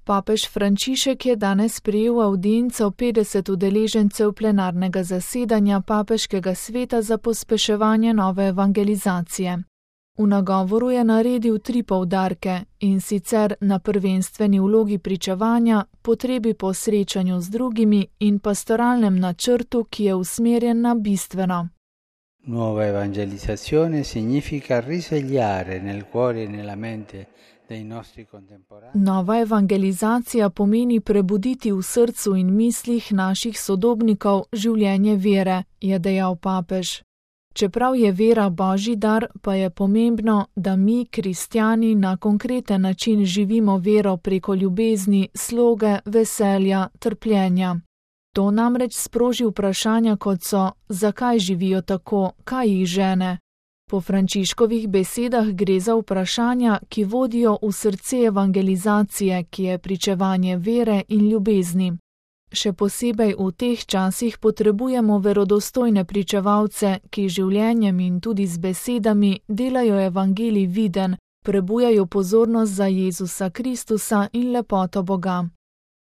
Papež Frančišek je danes sprejel avdienco 50 udeležencev plenarnega zasedanja Papeškega sveta za pospeševanje nove evangelizacije. V nagovoru je naredil 3 poudarke, in sicer na prvenstveni vlogi pričevanja, potrebi po srečanju z drugimi in pastoralnem načrtu, ki je usmerjen na bistveno. Nuova evangelizzazione significa risvegliare nel cuore e nella mente dei nostri contemporanei. Nova evangelizacija pomeni prebuditi v srcu in mislih naših sodobnikov življenje vere, je dejal papež. Čeprav je vera Božji dar, pa je pomembno, da mi, kristjani, na konkreten način živimo vero preko ljubezni, sloge, veselja, trpljenja. To namreč sproži vprašanja, kot so, zakaj živijo tako, kaj jih žene. Po Frančiškovih besedah gre za vprašanja, ki vodijo v srce evangelizacije, ki je pričevanje vere in ljubezni. Še posebej v teh časih potrebujemo verodostojne pričevalce, ki življenjem in tudi z besedami delajo evangelij viden, prebujajo pozornost za Jezusa Kristusa in lepoto Boga.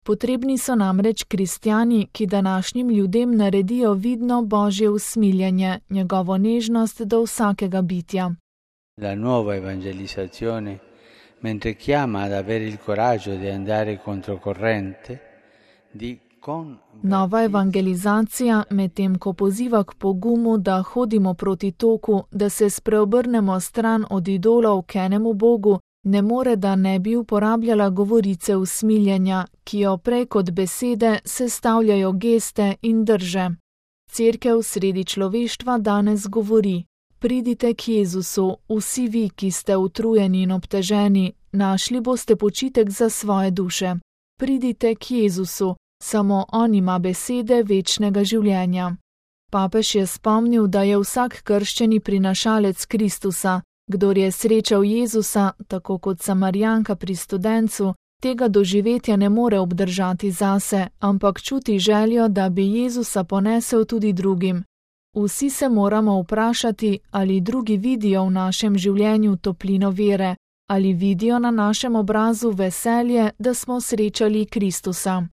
Potrebni so namreč kristjani, ki današnjim ljudem naredijo vidno Božje usmiljenje, njegovo nežnost do vsakega bitja. La nuova evangelizzazione, mentre chiama ad avere il coraggio di andare controcorrente, Nova evangelizacija, medtem ko poziva k pogumu, da hodimo proti toku, da se spreobrnemo stran od idolov k enemu Bogu, ne more, da ne bi uporabljala govorice usmiljenja, ki jo prej kot besede sestavljajo geste in drže. Cerkev sredi človeštva danes govori: pridite k Jezusu, vsi vi, ki ste utrujeni in obteženi, našli boste počitek za svoje duše. Pridite k Jezusu, samo on ima besede večnega življenja. Papež je spomnil, da je vsak krščeni prinašalec Kristusa. Kdor je srečal Jezusa, tako kot Samarijanka pri studencu, tega doživetja ne more obdržati zase, ampak čuti željo, da bi Jezusa ponesel tudi drugim. Vsi se moramo vprašati, ali drugi vidijo v našem življenju toplino vere, ali vidijo na našem obrazu veselje, da smo srečali Kristusa.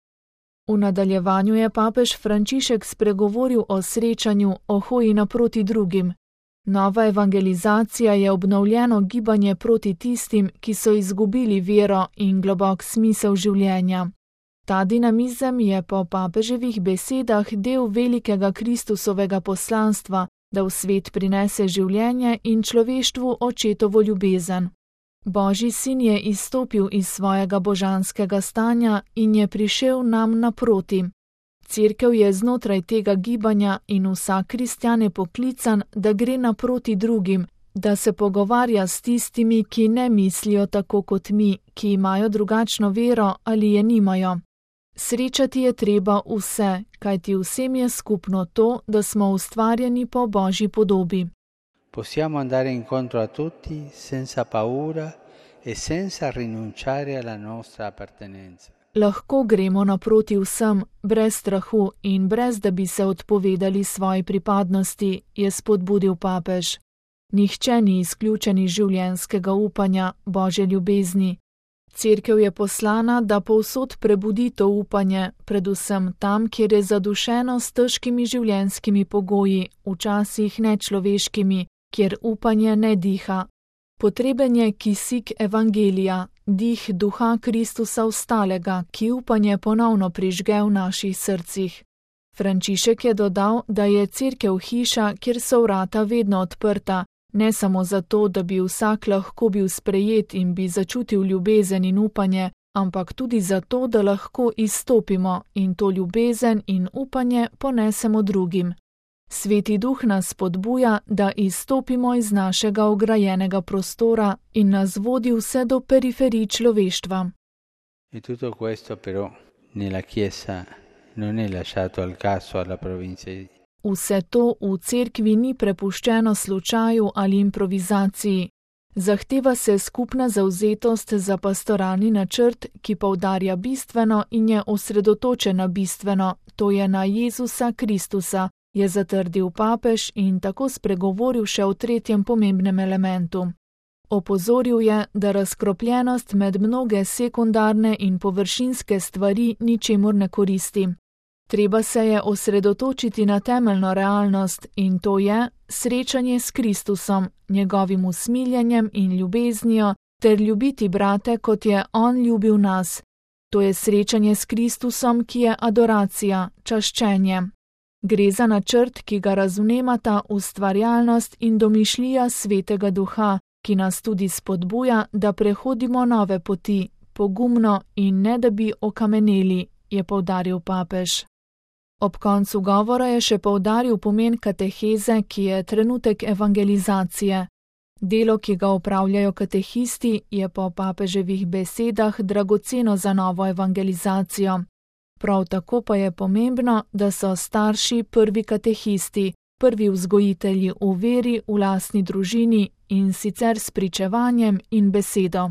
V nadaljevanju je papež Frančišek spregovoril o srečanju, o hoji naproti drugim. Nova evangelizacija je obnovljeno gibanje proti tistim, ki so izgubili vero in globok smisel življenja. Ta dinamizem je po papeževih besedah del velikega Kristusovega poslanstva, da v svet prinese življenje in človeštvu očetovo ljubezen. Božji sin je izstopil iz svojega božanskega stanja in je prišel nam naproti. Cerkev je znotraj tega gibanja in vsak kristjan je poklican, da gre naproti drugim, da se pogovarja s tistimi, ki ne mislijo tako kot mi, ki imajo drugačno vero ali je nimajo. Srečati je treba vse, kajti vsem je skupno to, da smo ustvarjeni po Božji podobi. Possiamo andare incontro a tutti senza paura e senza rinunciare alla nostra appartenenza. Lahko gremo naproti vsem, brez strahu in brez da bi se odpovedali svoji pripadnosti, je spodbudil papež. Nihče ni izključen iz življenjskega upanja, Božje ljubezni. Cerkev je poslana, da povsod prebudi to upanje, predvsem tam, kjer je zadušeno s težkimi življenjskimi pogoji, včasih nečloveškimi, kjer upanje ne diha. Potreben je kisik evangelija, dih duha Kristusa ostalega, ki upanje ponovno prižge v naših srcih. Frančišek je dodal, da je cerkev hiša, kjer so vrata vedno odprta, ne samo zato, da bi vsak lahko bil sprejet in bi začutil ljubezen in upanje, ampak tudi zato, da lahko izstopimo in to ljubezen in upanje ponesemo drugim. Sveti duh nas spodbuja, da izstopimo iz našega ograjenega prostora in nas vodi vse do periferij človeštva. E tutto questo però nella Chiesa non è lasciato al caso alla provincia. Vse to v cerkvi ni prepuščeno slučaju ali improvizaciji. Zahteva se skupna zavzetost za pastoralni načrt, ki poudarja bistveno in je osredotočen na bistveno, to je na Jezusa Kristusa, je zatrdil papež in tako spregovoril še o tretjem pomembnem elementu. Opozoril je, da razkropljenost med mnoge sekundarne in površinske stvari ničemur ne koristi. Treba se je osredotočiti na temeljno realnost in to je srečanje s Kristusom, njegovim usmiljenjem in ljubeznijo, ter ljubiti brate, kot je on ljubil nas. To je srečanje s Kristusom, ki je adoracija, čaščenje. Gre za načrt, ki ga razvnemata ustvarjalnost in domišljija Svetega Duha, ki nas tudi spodbuja, da prehodimo nove poti, pogumno in ne da bi okameneli, je poudaril papež. Ob koncu govora je še poudaril pomen kateheze, ki je trenutek evangelizacije. Delo, ki ga opravljajo katehisti, je po papeževih besedah dragoceno za novo evangelizacijo. Prav tako pa je pomembno, da so starši prvi katehisti, prvi vzgojitelji v veri v lastni družini in sicer s pričevanjem in besedo.